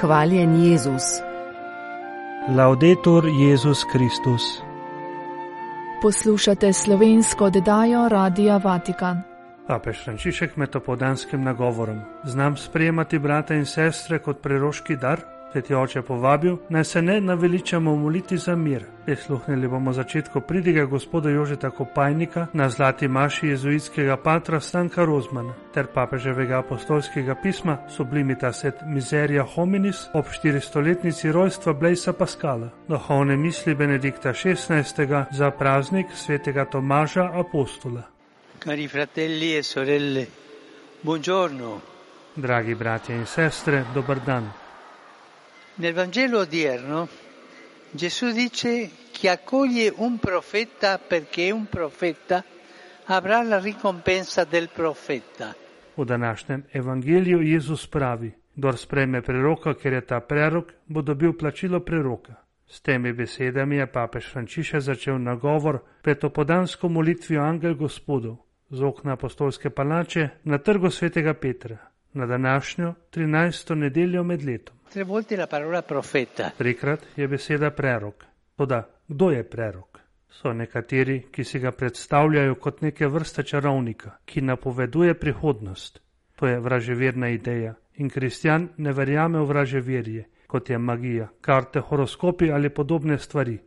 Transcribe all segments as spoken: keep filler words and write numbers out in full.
Hvaljen Jezus. Laudetur Jezus Kristus. Poslušate slovensko oddajo Radia Vatikan. Papež Frančišek med opoldanskim nagovorom: Znam sprejemati brata in sestre kot preroški dar. Sveti oče povabil, naj se ne naveličamo moliti za mir. Prisluhnili bomo začetku pridige gospoda Jožeta Kopajnika na zlati maši jezuitskega patra Stanka Rozmana ter papeževega apostolskega pisma Sublimitas et Miseria Hominis ob štiristoletnici rojstva Blaisa Pascala, duhovne misli Benedikta šestnajstega za praznik svetega Tomaža Apostola. Cari fratelli e sorelle, buongiorno. Dragi bratje in sestre, dober dan. Nel Vangelo odierno Gesù dice chi accoglie un profeta perché è un profeta avrà la ricompensa del profeta. V današnjem evangeliju Jezus pravi: Kdor sprejme preroka, ker je ta prerok, bo dobil plačilo preroka. S temi besedami je papež Frančišek začel nagovor pred opoldansko molitvijo Angel Gospodov z okna apostolske palače na trgu svetega Petra na današnjo trinajsto nedeljo med letom. Tre volte la parola profeta. Trikrat je beseda prerok. Toda, kdo je prerok? So nekateri, ki si ga predstavljajo kot neke vrste čarovnika, ki napoveduje prihodnost. To je vraževerna ideja in kristjan ne verjame v vraževerje, kot je magija, karte, horoskopi ali podobne stvari.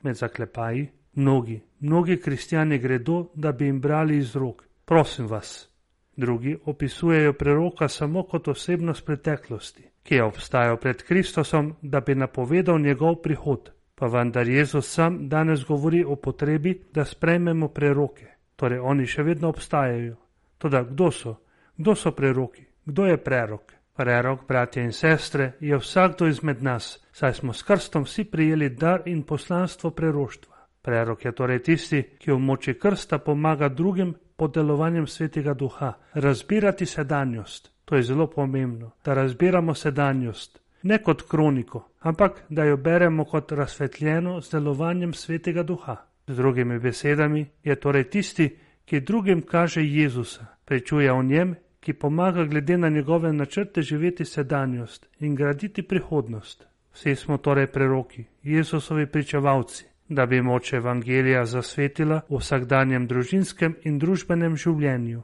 Med zaklepaji, mnogi, mnogi kristjani gredo, da bi jim brali iz rok. Prosim vas. Drugi opisujejo preroka samo kot osebnost preteklosti, ki je obstajal pred Kristusom, da bi napovedal njegov prihod. Pa vendar Jezus sam danes govori o potrebi, da sprejmemo preroke. Torej oni še vedno obstajajo. Toda kdo so? Kdo so preroki? Kdo je prerok? Prerok, bratje in sestre, je vsakdo izmed nas, saj smo s krstom vsi prijeli dar in poslanstvo preroštva. Prerok je torej tisti, ki v moči krsta pomaga drugim pod delovanjem svetega duha razbirati sedanjost. To je zelo pomembno, da razbiramo sedanjost, ne kot kroniko, ampak da jo beremo kot razsvetljeno z delovanjem svetega duha. Z drugimi besedami je torej tisti, ki drugim kaže Jezusa, pričuje o njem, ki pomaga glede na njegove načrte živeti sedanjost in graditi prihodnost. Vsi smo torej preroki, Jezusovi pričevalci, da bi moč evangelija zasvetila v vsakdanjem družinskem in družbenem življenju.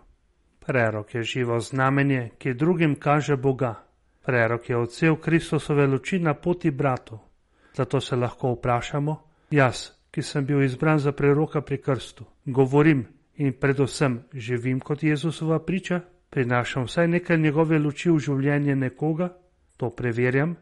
Prerok je živo znamenje, ki drugim kaže Boga. Prerok je odsev Kristusove luči na poti bratov. Zato se lahko vprašamo, jaz, ki sem bil izbran za preroka pri krstu, govorim in predvsem živim kot Jezusova priča, prinašam vsaj nekaj njegove luči v življenje nekoga, to preverjam,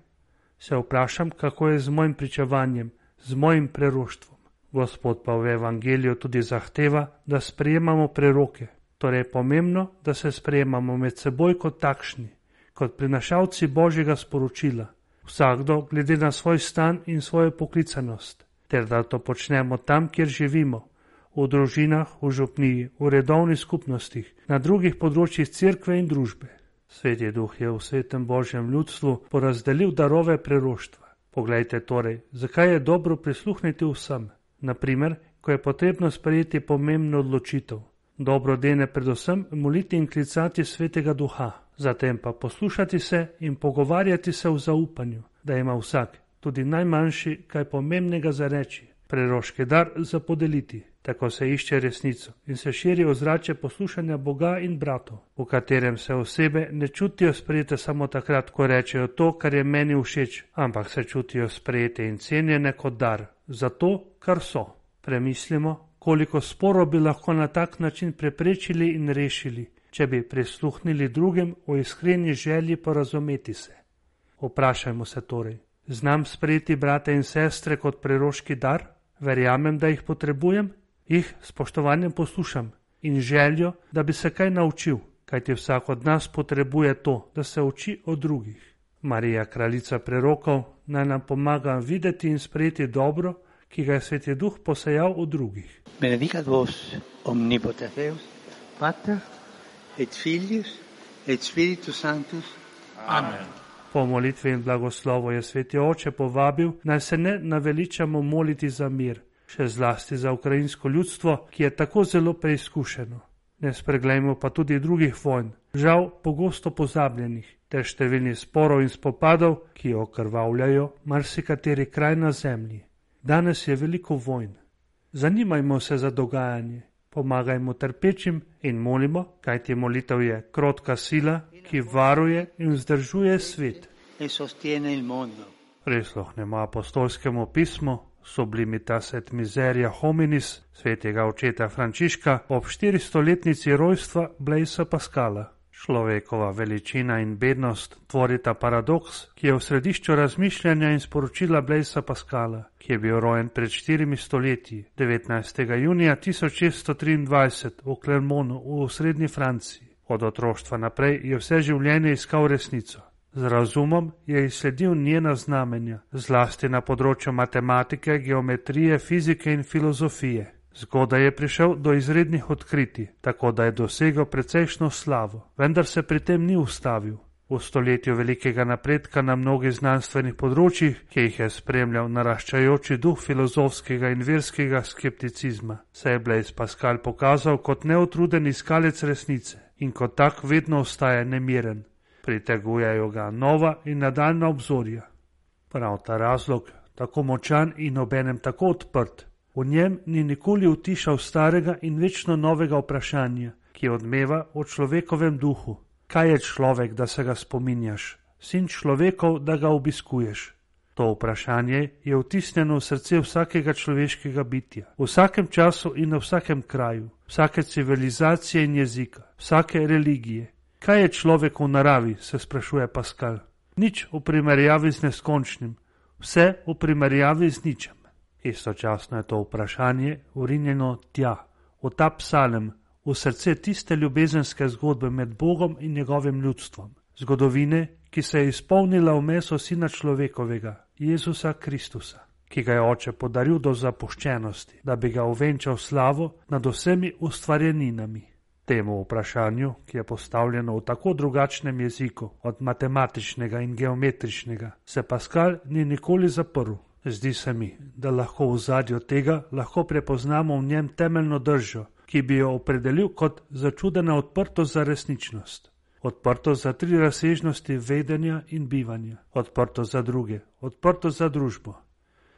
se vprašam, kako je z mojim pričevanjem, z mojim preroštvom. Gospod pa v evangeliju tudi zahteva, da sprejemamo preroke. Torej je pomembno, da se sprejemamo med seboj kot takšni, kot prinašalci Božjega sporočila, vsakdo glede na svoj stan in svojo poklicanost, ter da to počnemo tam, kjer živimo, v družinah, v župniji, v redovnih skupnostih, na drugih področjih cerkve in družbe. Sveti Duh je v svetem Božjem ljudstvu porazdelil darove preroštva. Poglejte torej, zakaj je dobro prisluhniti vsem. Naprimer, ko je potrebno sprejeti pomembno odločitev. Dobro dene predvsem moliti in klicati svetega duha, zatem pa poslušati se in pogovarjati se v zaupanju, da ima vsak, tudi najmanjši, kaj pomembnega za reči, preroški dar za podeliti. Tako se išče resnico in se širi ozračje poslušanja Boga in bratov, v katerem se osebe ne čutijo sprejete samo takrat, ko rečejo to, kar je meni všeč, ampak se čutijo sprejete in cenjene kot dar, za to, kar so. Premislimo, koliko sporov bi lahko na tak način preprečili in rešili, če bi prisluhnili drugim o iskreni želji porazumeti se. Vprašajmo se torej, znam sprejeti brate in sestre kot preroški dar? Verjamem, da jih potrebujem? Jih spoštovanjem poslušam in željo, da bi se kaj naučil, kajti vsak od nas potrebuje to, da se uči od drugih. Marija, kraljica prerokov, naj nam pomaga videti in sprejeti dobro, ki ga je Sveti Duh posejal v drugih. Benedicat vos omnipotens Deus, Pater et Filius et Spiritus Sanctus. Amen. Po molitvi in blagoslovu je Sveti Oče povabil, naj se ne naveličamo moliti za mir, še zlasti za ukrajinsko ljudstvo, ki je tako zelo preizkušeno. Ne spreglejmo pa tudi drugih vojn, žal pogosto pozabljenih, ter številnih sporov in spopadov, ki okrvavljajo marsikateri kraj na zemlji. Danes je veliko vojn. Zanimajmo se za dogajanje, pomagajmo trpečim in molimo, kajti molitev je krotka sila, ki varuje in vzdržuje svet. Prisluhnemo apostolskemu pismu Sublimitas et miseria hominis svetega očeta Frančiška ob štiristoletnici rojstva Blaisa Pascala. Človekova veličina in bednost tvorita paradoks, ki je v središču razmišljanja in sporočila Blaisa Pascala, ki je bil rojen pred štirimi stoletji, devetnajstega junija tisoč šeststo triindvajset v Clermontu v srednji Franciji. Od otroštva naprej je vse življenje iskal resnico. Z razumom je izsledil njena znamenja, zlasti na področju matematike, geometrije, fizike in filozofije. Zgodaj je prišel do izrednih odkritij, tako da je dosegel precejšno slavo, vendar se pri tem ni ustavil. V stoletju velikega napredka na mnogih znanstvenih področjih, ki jih je spremljal naraščajoči duh filozofskega in verskega skepticizma, se je Blaise Pascal pokazal kot neutruden iskalec resnice in kot tak vedno ostaja nemiren. Pritegujejo ga nova in nadaljna obzorja. Prav ta razlog, tako močan in obenem tako odprt, v njem ni nikoli utišal starega in večno novega vprašanja, ki odmeva o človekovem duhu. Kaj je človek, da se ga spominjaš? Sin človekov, da ga obiskuješ? To vprašanje je vtisnjeno v srce vsakega človeškega bitja, v vsakem času in na vsakem kraju, vsake civilizacije in jezika, vsake religije. Kaj je človek v naravi, se sprašuje Pascal. Nič v primerjavi z neskončnim, vse v primerjavi z ničem. Istočasno je to vprašanje vrinjeno tja, v ta psalem, v srce tiste ljubezenske zgodbe med Bogom in njegovim ljudstvom. Zgodovine, ki se je izpolnila v meso sina človekovega, Jezusa Kristusa, ki ga je oče podaril do zapuščenosti, da bi ga uvenčal slavo nad vsemi ustvarjeninami. Temu vprašanju, ki je postavljeno v tako drugačnem jeziku od matematičnega in geometričnega, se Pascal ni nikoli zaprl. Zdi se mi, da lahko v zadju tega lahko prepoznamo v njem temeljno držo, ki bi jo opredelil kot začudena odprtost za resničnost. Odprtost za tri razsežnosti vedenja in bivanja, odprtost za druge, odprtost za družbo.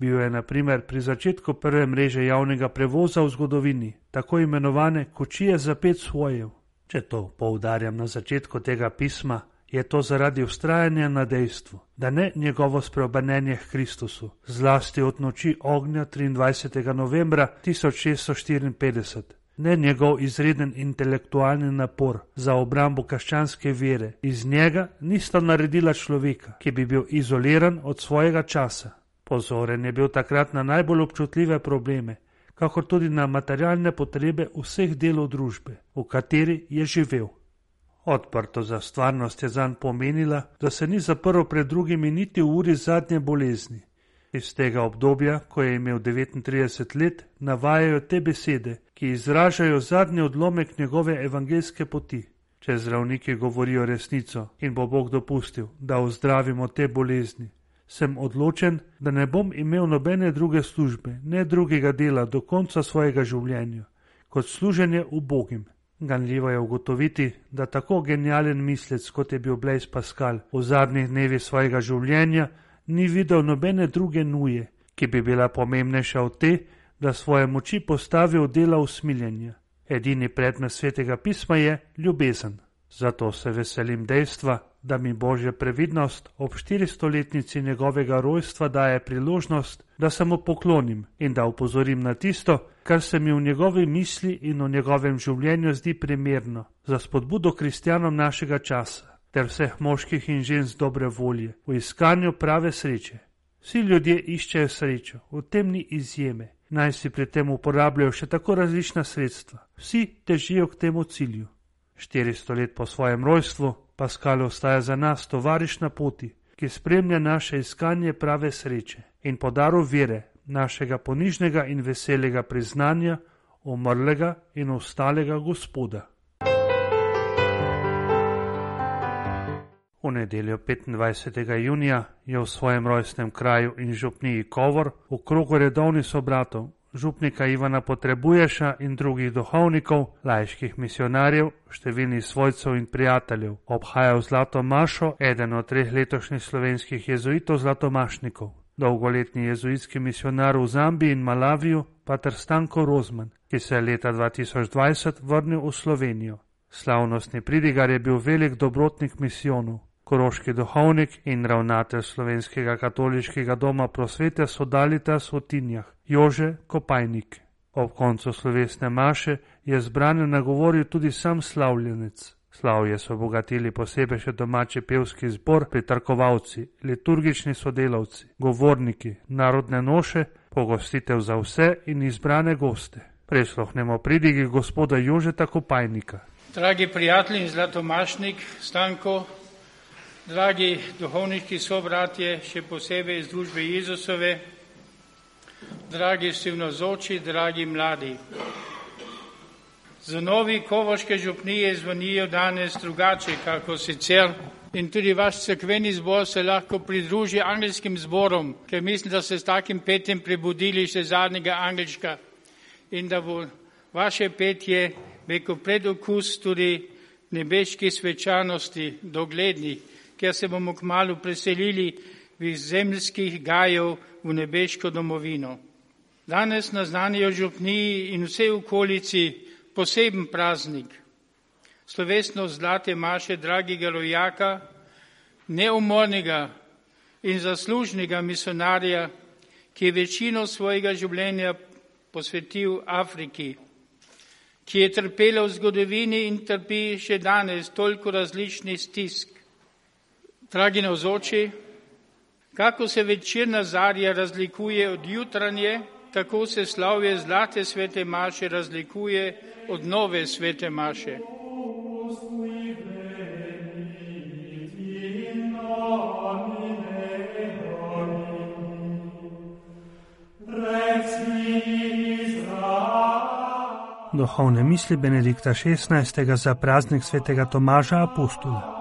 Bil je na primer pri začetku prve mreže javnega prevoza v zgodovini, tako imenovane kočije za pet svojev. Če to poudarjam na začetku tega pisma, je to zaradi vztrajanja na dejstvu, da ne njegovo spreobrnenje k Kristusu, zlasti od noči ognja triindvajsetega novembra tisoč šeststo štiriinpetdeset, ne njegov izreden intelektualni napor za obrambo krščanske vere, iz njega nista naredila človeka, ki bi bil izoliran od svojega časa. Pozoren je bil takrat na najbolj občutljive probleme, kakor tudi na materialne potrebe vseh delov družbe, v kateri je živel. Odprto za stvarnost je zanj pomenila, da se ni zaprl pred drugimi niti v uri zadnje bolezni. Iz tega obdobja, ko je imel devetintrideset let, navajajo te besede, ki izražajo zadnji odlomek njegove evangeljske poti. Če zdravniki govorijo resnico in bo Bog dopustil, da ozdravimo te bolezni, sem odločen, da ne bom imel nobene druge službe, ne drugega dela do konca svojega življenja, kot služenje ubogim. Ganljivo je ugotoviti, da tako genialen mislec, kot je bil Blaise Pascal, v zadnjih dnevih svojega življenja ni videl nobene druge nuje, ki bi bila pomembnejša od te, da svoje moči postavi v dela usmiljenja. Edini predmet svetega pisma je ljubezen. Zato se veselim dejstva, da mi Božja previdnost ob štiristoletnici njegovega rojstva daje priložnost, da se mu poklonim in da upozorim na tisto, kar se mi v njegovi misli in v njegovem življenju zdi primerno za spodbudo kristjanom našega časa ter vseh moških in žensk dobre volje v iskanju prave sreče. Vsi ljudje iščejo srečo, v tem ni izjeme, naj si pri tem uporabljajo še tako različna sredstva. Vsi težijo k temu cilju. Štiristo let po svojem rojstvu Pascal ostaja za nas tovariš na poti, ki spremlja naše iskanje prave sreče in po daru vere, našega ponižnega in veselega priznanja umrlega in ostalega Gospoda. V nedeljo petindvajsetega junija je v svojem rojstnem kraju in župniji Kovor v krogu redovnih sobratov župnika Ivana Potrebuješa in drugih duhovnikov, laiških misionarjev, številnih svojcev in prijateljev, obhajal Zlato mašo eden od treh letošnjih slovenskih jezuitov zlatomašnikov, dolgoletni jezuitski misionar v Zambiji in Malaviju, pater Stanko Rozman, ki se je leta dva tisoč dvajset vrnil v Slovenijo. Slavnostni pridigar je bil velik dobrotnik misijonov. Koroški duhovnik in ravnatelj Slovenskega katoliškega doma prosvete Sodalitas v Tinjah, Jože Kopajnik. Ob koncu slovesne maše je zbrane nagovoril tudi sam slavljenec. Slavje so obogatili posebej še domači pevski zbor, pritrkovalci, liturgični sodelavci, govorniki, narodne noše, pogostitev za vse in izbrane goste. Prisluhnemo pridigi gospoda Jožeta Kopajnika. Dragi prijatelji in zlatomašnik Stanko, dragi duhovniški sobratje, še posebej iz družbe Jezusove, dragi vsi navzoči, dragi mladi. Za novi kovoške župnije zvonijo danes drugače, kako sicer. In tudi vaš cerkveni zbor se lahko pridruži angelskim zborom, ker mislim, da ste s takim petjem prebudili še zadnjega angelčka in da bo vaše petje veko predokus tudi nebeški svečanosti doglednih, ker se bomo kmalu preselili iz zemljskih gajev v nebeško domovino. Danes naznanijo župniji in vse okolici poseben praznik, slovesnost Zlate maše dragega rojaka, neumornega in zaslužnega misionarja, ki je večino svojega življenja posvetil Afriki, ki je trpela v zgodovini in trpi še danes toliko različnih stisk. Dragi navzoči, kako se večerna zarja razlikuje od jutranje, tako se slavje Zlate svete maše razlikuje od nove svete maše. Duhovne misli Benedikta šestnajstega za praznik svetega Tomaža Apostola.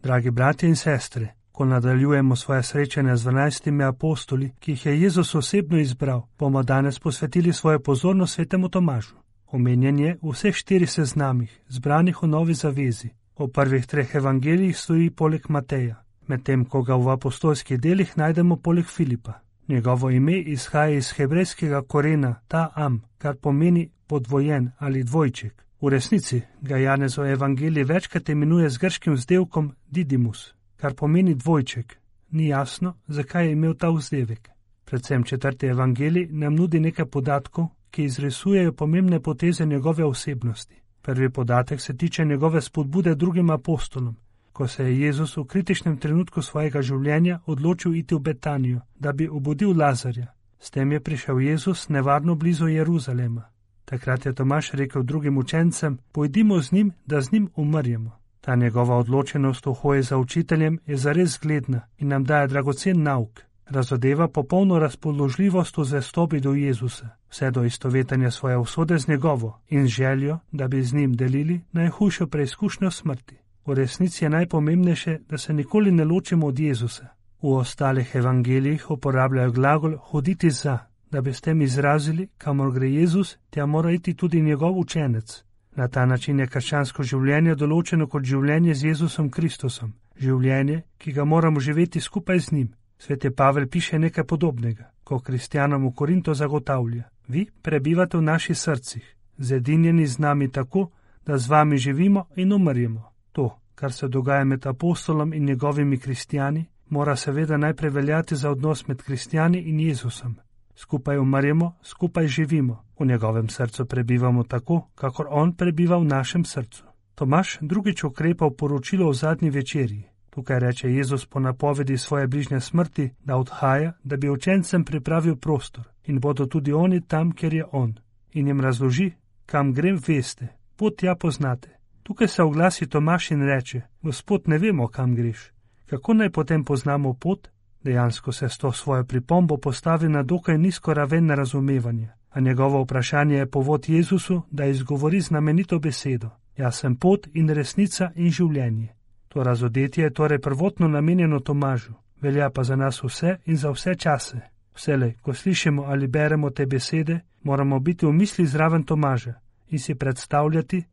Dragi bratje in sestre, ko nadaljujemo svoje srečanje z dvanajstimi apostoli, ki jih je Jezus osebno izbral, bomo danes posvetili svojo pozornost svetemu Tomažu. Omenjen je v vseh štirih seznamih, zbranih v Novi zavezi. V prvih treh evangelijih stoji poleg Mateja, medtem ko ga v apostolskih delih najdemo poleg Filipa. Njegovo ime izhaja iz hebrejskega korena ta-am, kar pomeni podvojen ali dvojček. V resnici ga Janez v evangeliji večkrat imenuje z grškim vzdevkom Didymus, kar pomeni dvojček. Ni jasno, zakaj je imel ta vzdevek. Predvsem četrti evangelij nam nudi nekaj podatkov, ki izrisujejo pomembne poteze njegove osebnosti. Prvi podatek se tiče njegove spodbude drugim apostolom, ko se je Jezus v kritičnem trenutku svojega življenja odločil iti v Betanijo, da bi obudil Lazarja. S tem je prišel Jezus nevarno blizu Jeruzalema. Takrat je Tomaž rekel drugim učencem, pojdimo z njim, da z njim umrjemo. Ta njegova odločenost v hoji za učiteljem je zares zgledna in nam daje dragocen nauk. Razodeva popolno razpoložljivost v zvestobi do Jezusa, vse do istovetanja svoje usode z njegovo in željo, da bi z njim delili najhujšo preizkušnjo smrti. V resnici je najpomembnejše, da se nikoli ne ločimo od Jezusa. V ostalih evangelijih uporabljajo glagol hoditi za, da bi s tem izrazili, kamor gre Jezus, tja mora iti tudi njegov učenec. Na ta način je krščansko življenje določeno kot življenje z Jezusom Kristusom, življenje, ki ga moramo živeti skupaj z njim. Sveti Pavel piše nekaj podobnega, ko kristjanom v Korinto zagotavlja: vi prebivate v naših srcih, zedinjeni z nami tako, da z vami živimo in umrjemo. To, kar se dogaja med apostolom in njegovimi kristjani, mora seveda najprej veljati za odnos med kristjani in Jezusom. Skupaj umrjemo, skupaj živimo, v njegovem srcu prebivamo tako, kakor on prebiva v našem srcu. Tomaž drugič ukrepa v poročilo o zadnji večerji. Tukaj reče Jezus po napovedi svoje bližnje smrti, da odhaja, da bi učencem pripravil prostor in bodo tudi oni tam, kjer je on. In jim razloži, kam grem, veste, pot tja poznate. Tukaj se oglasi Tomaž in reče: Gospod, ne vemo, kam greš. Kako naj potem poznamo pot? Dejansko se s to svojo pripombo postavi na dokaj nizko raven razumevanja, a njegovo vprašanje je povod Jezusu, da izgovori znamenito besedo: Jaz sem pot in resnica in življenje. To razodetje je torej prvotno namenjeno Tomažu. velja pa za nas vse in za vse čase. Vselej, ko slišimo ali beremo te besede, moramo biti v misli zraven Tomaža in si predstavljati,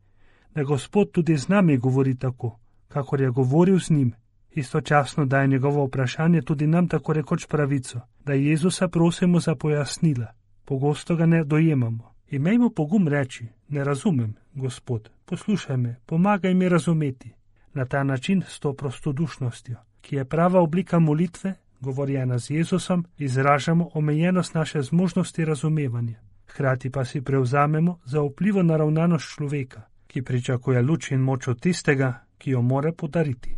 da Gospod tudi z nami govori tako, kakor je govoril z njim. Istočasno daje njegovo vprašanje tudi nam tako rekoč pravico, da Jezusa prosimo za pojasnila. Pogosto ga ne dojemamo. Imejmo pogum reči, ne razumem, Gospod, poslušaj me, pomagaj mi razumeti. Na ta način s to prostodušnostjo, ki je prava oblika molitve, govorjena z Jezusom, izražamo omejenost naše zmožnosti razumevanja. Hkrati pa si prevzamemo za vplivo naravnanost človeka, ki pričakuje luč in moč od tistega, ki jo more podariti.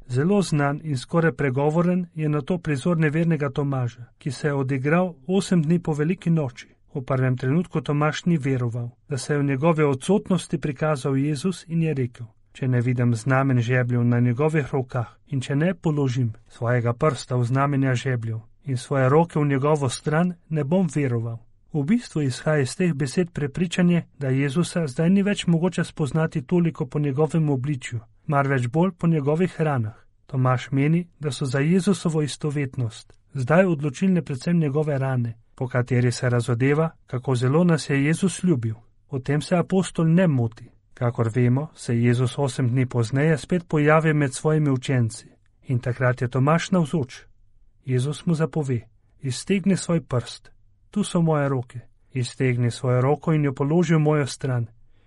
Zelo znan in skoraj pregovoren je na to prizor nevernega Tomaža, ki se je odigral osem dni po veliki noči. V prvem trenutku Tomaž ni veroval, da se je v njegove odsotnosti prikazal Jezus in je rekel: če ne vidim znamen žebljev na njegovih rokah in če ne položim svojega prsta v znamenja žebljev in svoje roke v njegovo stran, ne bom veroval. V bistvu izhaja iz teh besed prepričanje, da Jezusa zdaj ni več mogoče spoznati toliko po njegovem obličju, marveč bolj po njegovih ranah. Tomaž meni, da so za Jezusovo istovetnost zdaj odločilne predvsem njegove rane, po kateri se razodeva, kako zelo nas je Jezus ljubil. O tem se apostol ne moti. Kakor vemo, se Jezus osem dni pozneje spet pojavi med svojimi učenci in takrat je Tomaž navzoč. Jezus mu zapove: iztegni svoj prst, tu so moje roke, iztegni svojo roko in jo položi v mojo stran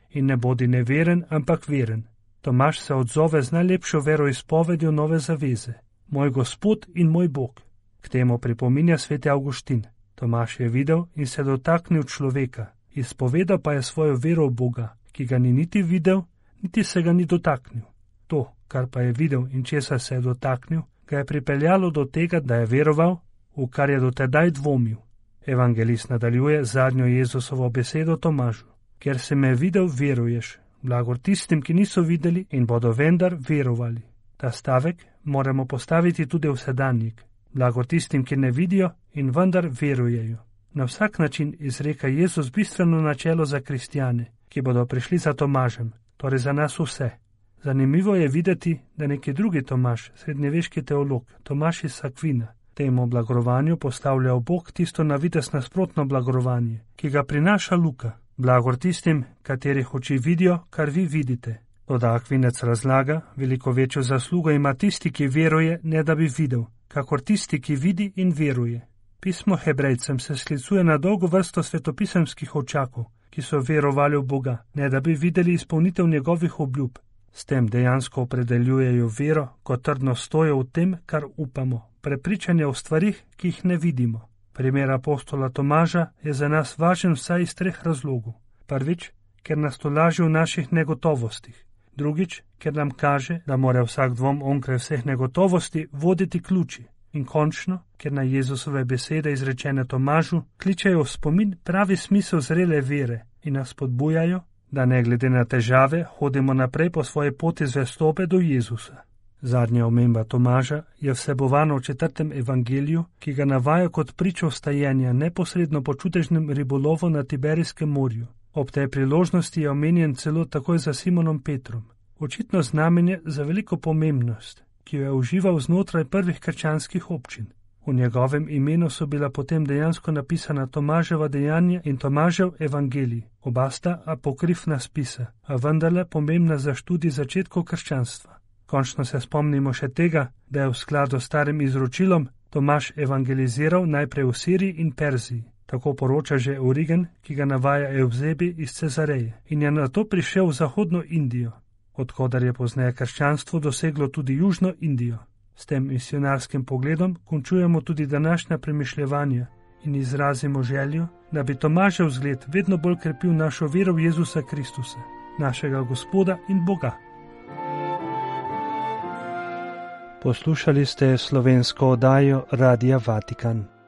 in ne bodi neveren, ampak veren. Tomaž se odzove z najlepšo veroizpovedjo nove zaveze: moj Gospod in moj Bog. K temu pripominja sveti Avguštin. Tomaž je videl in se dotaknil človeka, izpovedal pa je svojo vero v Boga, ki ga ni niti videl, niti se ga ni dotaknil. To, kar pa je videl in česa se je dotaknil, ga je pripeljalo do tega, da je veroval, v kar je dotedaj dvomil. Evangelist nadaljuje zadnjo Jezusovo besedo Tomažu: ker si me videl, veruješ. Blagor tistim, ki niso videli in bodo vendar verovali. Ta stavek moramo postaviti tudi v sedanjik. Blagor tistim, ki ne vidijo in vendar verujejo. Na vsak način izreka Jezus bistveno načelo za kristjane, ki bodo prišli za Tomažem, torej za nas vse. Zanimivo je videti, da neki drugi Tomaž, srednjeveški teolog, Tomaž iz Akvina, temu blagorovanju postavlja v bok tisto na videz nasprotno blagorovanje, ki ga prinaša Luka. Blagor tistim, katerih oči vidijo, kar vi vidite. Toda Akvinec razlaga, veliko večjo zaslugo ima tisti, ki veruje, ne da bi videl, kakor tisti, ki vidi in veruje. Pismo Hebrejcem se sklicuje na dolgo vrsto svetopisemskih očakov, ki so verovali v Boga, ne da bi videli izpolnitev njegovih obljub. S tem dejansko opredeljujejo vero kot trdno stojo v tem, kar upamo, prepričanje o stvarih, ki jih ne vidimo. Primer apostola Tomaža je za nas važen vsaj iz treh razlogov. Prvič, ker nas tolaži v naših negotovostih. Drugič, ker nam kaže, da mora vsak dvom onkraj vseh negotovosti voditi ključi. In končno, ker na Jezusove besede izrečene Tomažu kličejo v spomin pravi smisel zrele vere in nas spodbujajo, da ne glede na težave hodimo naprej po svoji poti zvestobe do Jezusa. Zadnja omemba Tomaža je vsebovana v četrtem evangeliju, ki ga navaja kot pričo vstajenja neposredno po čudežnem ribolovu na Tiberijskem morju. Ob tej priložnosti je omenjen celo takoj za Simonom Petrom. Očitno znamenje za veliko pomembnost, ki jo je užival znotraj prvih krščanskih občin. V njegovem imenu so bila potem dejansko napisana Tomaževa dejanja in Tomažev evangelij. Oba sta apokrifna spisa, a vendarle pomembna za študij začetkov krščanstva. Končno se spomnimo še tega, da je v skladu s starim izročilom Tomaž evangeliziral najprej v Siriji in Perziji. Tako poroča že Origen, ki ga navaja Evzebi iz Cezareje, in je nato prišel v zahodno Indijo, odkudar je pozneje krščanstvo doseglo tudi južno Indijo. S tem misionarskim pogledom končujemo tudi današnja premišljevanja in izrazimo željo, da bi Tomažev zgled vedno bolj krepil našo vero v Jezusa Kristusa, našega Gospoda in Boga. Poslušali ste slovensko oddajo Radia Vatikan.